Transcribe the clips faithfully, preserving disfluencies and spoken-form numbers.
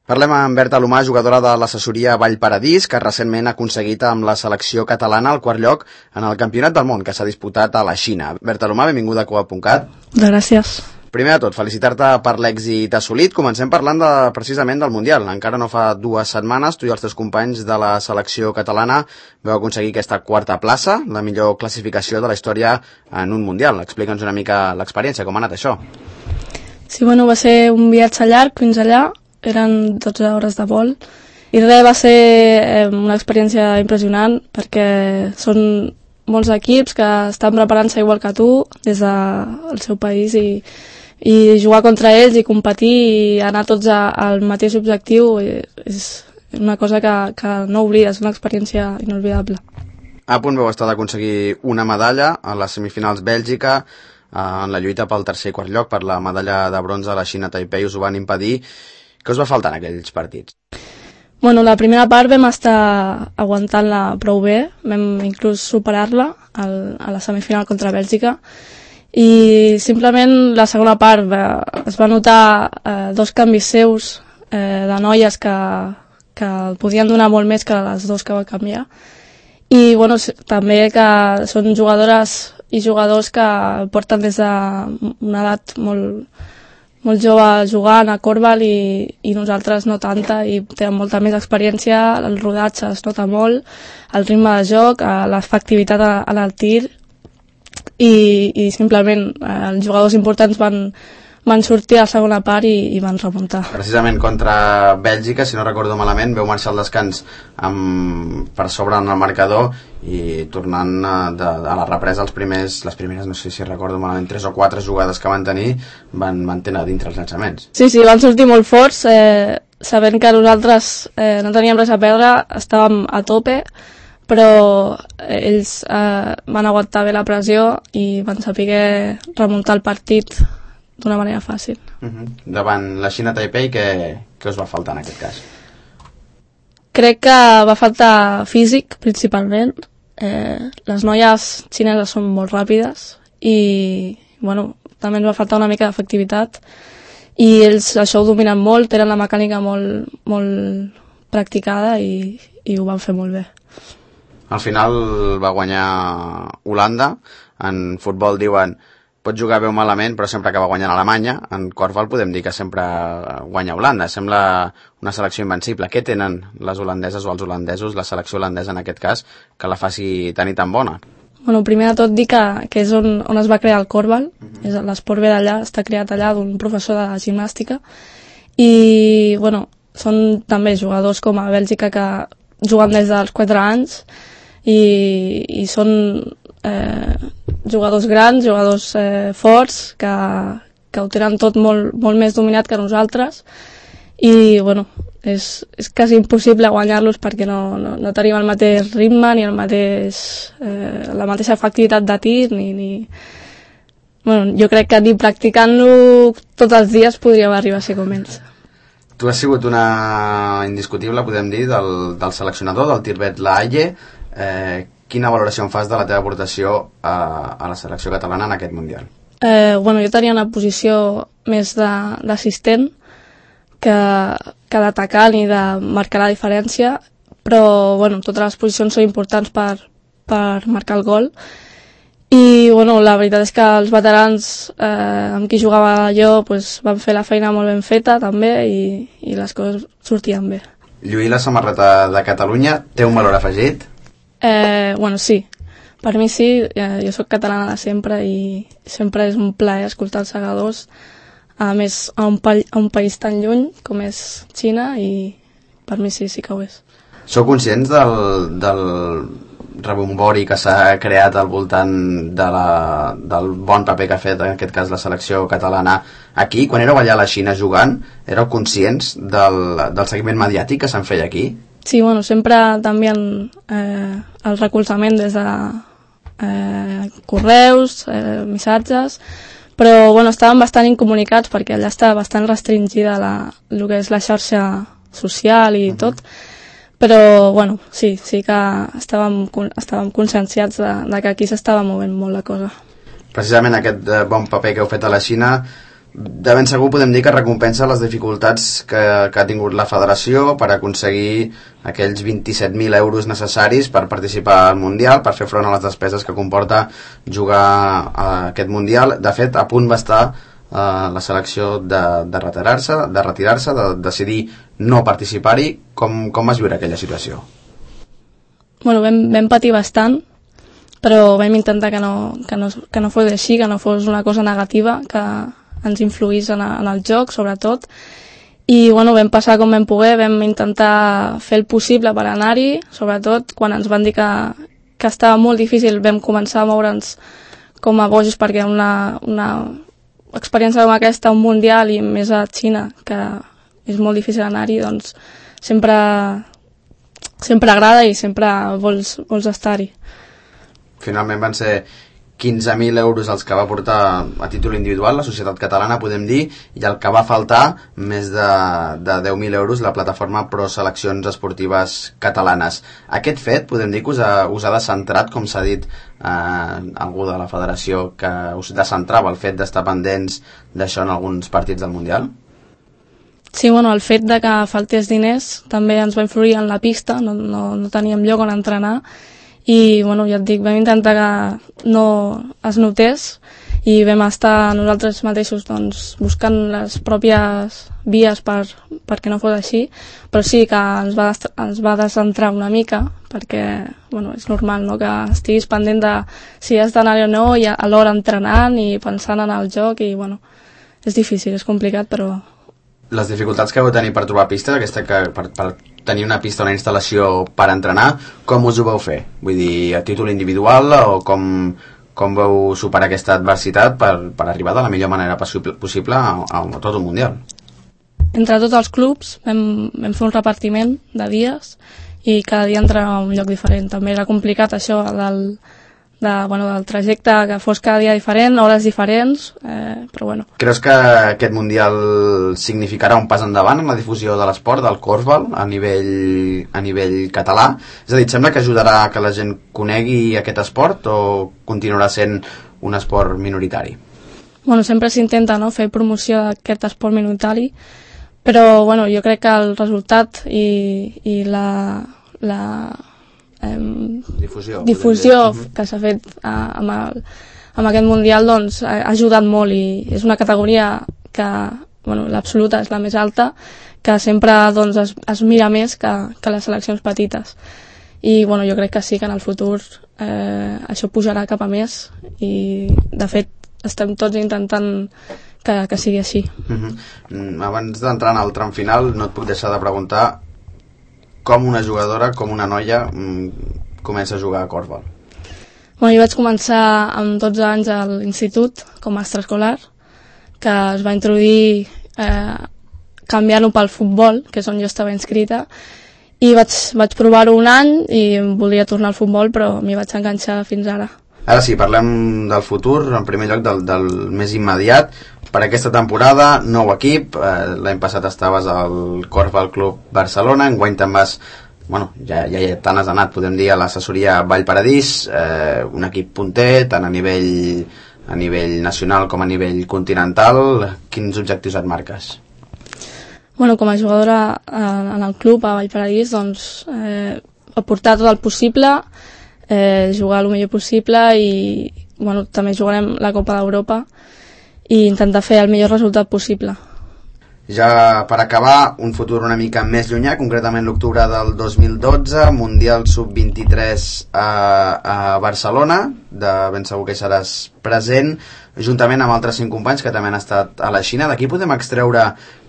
Parlem amb Berta Alomar, jugadora de l'assessoria Vallparadís, que recentment ha aconseguit amb la selecció catalana el quart lloc en el Campionat del Món, que s'ha disputat a la Xina. Berta Alomar, benvinguda a Coop punt cat. Gràcies. Primer de tot, felicitar-te per l'èxit assolit. Comencem parlant de, precisament del Mundial. Encara no fa dues setmanes, tu i els teus companys de la selecció catalana vau aconseguir aquesta quarta plaça, la millor classificació de la història en un Mundial. Explica'ns una mica l'experiència, com ha anat això. Sí, bueno, va ser un viatge llarg fins allà, eren dotze hores de vol, i res, va ser eh, una experiència impressionant, perquè són molts equips que estan preparant-se igual que tu, des del seu país, i, i jugar contra ells i competir i anar tots a, al mateix objectiu és una cosa que, que no oblides, una experiència inolvidable. A punt vau estar d'aconseguir una medalla a les semifinals Bèlgica, en la lluita pel tercer i quart lloc, per la medalla de bronze a la Xina Taipei us ho van impedir. Què us va faltar en aquells partits? Bueno, la primera part vam estar aguantant-la prou bé, vam inclús superar-la al, a la semifinal contra Bèlgica, i simplement la segona part va, es va notar eh, dos canvis seus eh, de noies que, que podien donar molt més que les dos que va canviar, i bueno, també que són jugadores i jugadors que porten des d'una edat molt molt jove jugant a Corbal i, i nosaltres no tanta, i tenen molta més experiència, el rodatge es nota molt, el ritme de joc, l'efectivitat en el tir, i, i simplement eh, els jugadors importants van, van sortir a la segona part i, i van remuntar. Precisament contra Bèlgica, si no recordo malament, veu marxar al descans amb, per sobre en el marcador, i tornant a, de, a la represa els primers, les primeres, no sé si recordo malament, tres o quatre jugades que van tenir, van, van tenir dintre els llançaments. Sí, sí, van sortir molt forts, eh, sabent que nosaltres eh, no teníem res a perdre, estàvem a tope, però ells eh, van aguantar bé la pressió i van saber remuntar el partit d'una manera fàcil. Uh-huh. Davant la Xina Taipei, què, què us va faltar en aquest cas? Crec que va faltar físic, principalment. Eh, les noies xineses són molt ràpides i bueno, també ens va faltar una mica d'efectivitat, i ells això ho dominen molt, tenen la mecànica molt, molt practicada i, i ho van fer molt bé. Al final va guanyar Holanda. En futbol diuen pot jugar bé o malament, però sempre acaba guanyant Alemanya. En korfball podem dir que sempre guanya Holanda. Sembla una selecció invencible. Què tenen les holandeses o els holandesos, la selecció holandesa en aquest cas, que la faci tan i tan bona? Bueno, primer de tot dir que, que és on, on es va crear el korfball. Uh-huh. L'esport ve d'allà, està creat allà d'un professor de gimnàstica. I, bueno, són també jugadors com a Bèlgica que juguen des dels quatre anys i, i són eh, jugadors grans, jugadors eh, forts, que, que ho tenen tot molt, molt més dominat que nosaltres, i bueno, és, és quasi impossible guanyar-los perquè no, no, no tenim el mateix ritme ni el mateix, eh, la mateixa efectivitat de tir, ni, ni... Bueno, jo crec que ni practicant-lo tots els dies podríem arribar a ser com ells. Tu has sigut una indiscutible, podem dir, del, del seleccionador, del Tirbet Lahaye. Eh, quina valoració en fas de la teva aportació a, a la selecció catalana en aquest Mundial? Eh, bueno, jo tenia una posició més d'assistent que, que d'atacant i de marcar la diferència, però bueno, totes les posicions són importants per, per marcar el gol. I bueno, la veritat és que els veterans eh, amb qui jugava jo pues, van fer la feina molt ben feta també, i, i les coses sortien bé. Lluir la samarreta de Catalunya té un valor afegit? Eh, bueno, sí, per mi sí, eh, jo sóc catalana de sempre i sempre és un plaer escoltar els segadors, a més a un, pa a un país tan lluny com és Xina, i per mi sí, sí que ho és. Sou conscients del, del rebombori que s'ha creat al voltant de la, del bon paper que ha fet en aquest cas la selecció catalana aquí? Quan éreu allà a la Xina jugant, éreu conscients del, del seguiment mediàtic que se'n feia aquí? Sí, bueno, sempre també eh, el recolzament des de eh, correus, eh, missatges, però bueno, estàvem bastant incomunicats perquè allà està bastant restringida la, el que és la xarxa social i uh-huh. tot, però bueno, sí, sí que estàvem, estàvem conscienciats de, de que aquí s'estava movent molt la cosa. Precisament aquest bon paper que heu fet a la Xina de ben segur podem dir que recompensa les dificultats que, que ha tingut la federació per aconseguir aquells vint-i-set mil euros necessaris per participar al Mundial, per fer front a les despeses que comporta jugar a aquest Mundial. De fet, a punt va estar eh, la selecció de, de retirar-se, de retirar-se, de decidir no participar-hi. Com, com vas viure aquella situació? Bueno, vam, vam patir bastant, però vam intentar que no, que, no, que no fos així, que no fos una cosa negativa, que ens influís en, en el joc, sobretot. I bueno, vam passar com vam poder, vam intentar fer el possible per anar-hi, sobretot quan ens van dir que, que estava molt difícil, vam començar a moure'ns com a bojos, perquè una, una experiència com aquesta, un mundial, i més a Xina, que és molt difícil anar-hi, doncs sempre, sempre agrada i sempre vols, vols estar-hi. Finalment van ser quinze mil euros els que va portar a títol individual la societat catalana, podem dir, i el que va faltar, més de, de deu mil euros, la plataforma Pro Seleccions Esportives Catalanes. Aquest fet, podem dir que us ha, us ha descentrat, com s'ha dit eh, algú de la federació, que us descentrava el fet d'estar pendents d'això en alguns partits del Mundial? Sí, bueno, el fet de que faltés diners també ens va influir en la pista, no, no, no teníem lloc on entrenar, i bueno, ja et dic, vam intentar que no es notés i vam estar nosaltres mateixos doncs, buscant les pròpies vies per, perquè no fos així, però sí que ens va, ens va descentrar una mica, perquè bueno, és normal, no?, que estiguis pendent de si has d'anar o no, i alhora entrenant i pensant en el joc, i bueno, és difícil, és complicat, però... Les dificultats que vau tenir per trobar pista, aquesta que, per, per tenir una pista, una instal·lació per entrenar, com us ho vau fer? Vull dir, a títol individual, o com, com vau superar aquesta adversitat per, per arribar de la millor manera possible a, a, a tot un Mundial? Entre tots els clubs vam, vam fer un repartiment de dies i cada dia entrenava a un lloc diferent. També era complicat això del, de, bueno, del trajecte, que fos cada dia diferent, hores diferents, eh, però bueno. Creus que aquest Mundial significarà un pas endavant en la difusió de l'esport, del corfball, a nivell, a nivell català? És a dir, et sembla que ajudarà que la gent conegui aquest esport o continuarà sent un esport minoritari? Bueno, sempre s'intenta, no?, fer promoció d'aquest esport minoritari, però bueno, jo crec que el resultat i, i la... la Eh, difusió, difusió que s'ha fet eh, amb, el, amb aquest Mundial, doncs ha ajudat molt, i és una categoria que, bueno, l'absoluta és la més alta, que sempre doncs, es, es mira més que, que les seleccions petites, i bueno, jo crec que sí que en el futur eh, això pujarà cap a més, i de fet estem tots intentant que, que sigui així. Uh-huh. Abans d'entrar en el tram final no et puc deixar de preguntar com una jugadora, com una noia mmm, comença a jugar a corfball. Bueno, jo vaig començar amb dotze anys a l'institut com a extraescolar, que es va introduir eh, canviant-ho pel futbol, que és on jo estava inscrita, i vaig, vaig provar-ho un any i volia tornar al futbol, però m'hi vaig enganxar fins ara. Ara sí, parlem del futur, en primer lloc del, del més immediat. Per aquesta temporada, nou equip, eh, l'any passat estaves al Corfball Club Barcelona, enguany te'n vas, bueno, ja, ja, ja te n'has anat, podem dir, a l'assessoria Vallparadís, eh, un equip punter, tant a nivell, a nivell nacional com a nivell continental. Quins objectius et marques? Bueno, com a jugadora eh, en el club a Vallparadís, doncs, eh, aportar tot el possible, eh, jugar el millor possible, i bueno, també jugarem la Copa d'Europa i intentar fer el millor resultat possible. Ja per acabar, un futur una mica més llunyà, concretament l'octubre del dos mil dotze, Mundial sub vint-i-tres a, a Barcelona, de ben segur que hi seràs present, juntament amb altres cinc companys que també han estat a la Xina. D'aquí podem extreure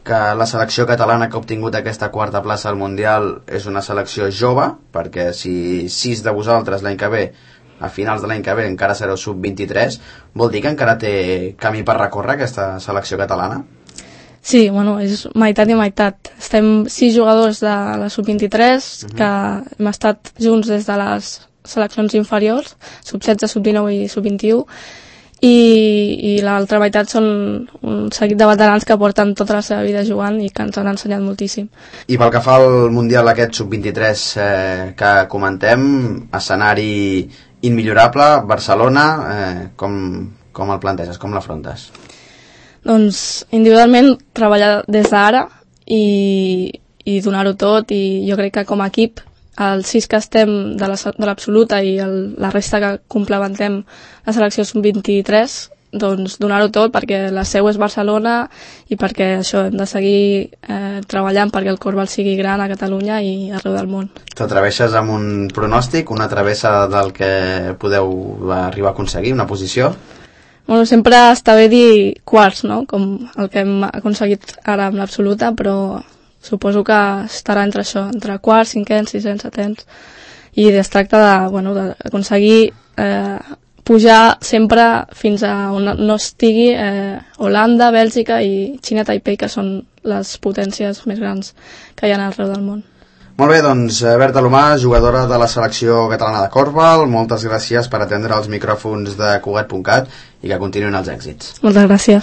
que la selecció catalana que ha obtingut aquesta quarta plaça al Mundial és una selecció jove, perquè si sis de vosaltres l'any que ve, a finals de l'any que ve, encara sereu sub vint-i-tres, vol dir que encara té camí per recórrer aquesta selecció catalana? Sí, bueno, és meitat i meitat. Estem sis jugadors de la sub vint-i-tres, uh-huh. que hem estat junts des de les seleccions inferiors, sub setze, sub dinou i sub vint-i-u, i, i l'altra meitat són un seguit de veterans que porten tota la seva vida jugant i que ens han ensenyat moltíssim. I pel que fa al Mundial aquest sub vint-i-tres eh, que comentem, escenari immillorable, Barcelona, eh, com, com el planteges, com l'afrontes? Doncs individualment treballar des d'ara i, i donar-ho tot, i jo crec que com a equip els sis que estem de l'absoluta i el, la resta que complementem la selecció sub vint-i-tres, doncs donar-ho tot perquè la seu és Barcelona i perquè això hem de seguir eh, treballant perquè el Corbal sigui gran a Catalunya i arreu del món. T'atreveixes amb un pronòstic, una travessa del que podeu arribar a aconseguir, una posició? Bueno, sempre està bé dir quarts, no? Com el que hem aconseguit ara amb l'absoluta, però suposo que estarà entre això, entre quarts, cinquens, sisens, setens, i es tracta de, bueno, d'aconseguir eh, pujar sempre fins a on no estigui eh, Holanda, Bèlgica i Xina Taipei, que són les potències més grans que hi ha arreu del món. Molt bé, doncs Berta Alomar, jugadora de la selecció catalana de Corbal, moltes gràcies per atendre els micròfons de Cugat punt cat i que continuïn els èxits. Moltes gràcies.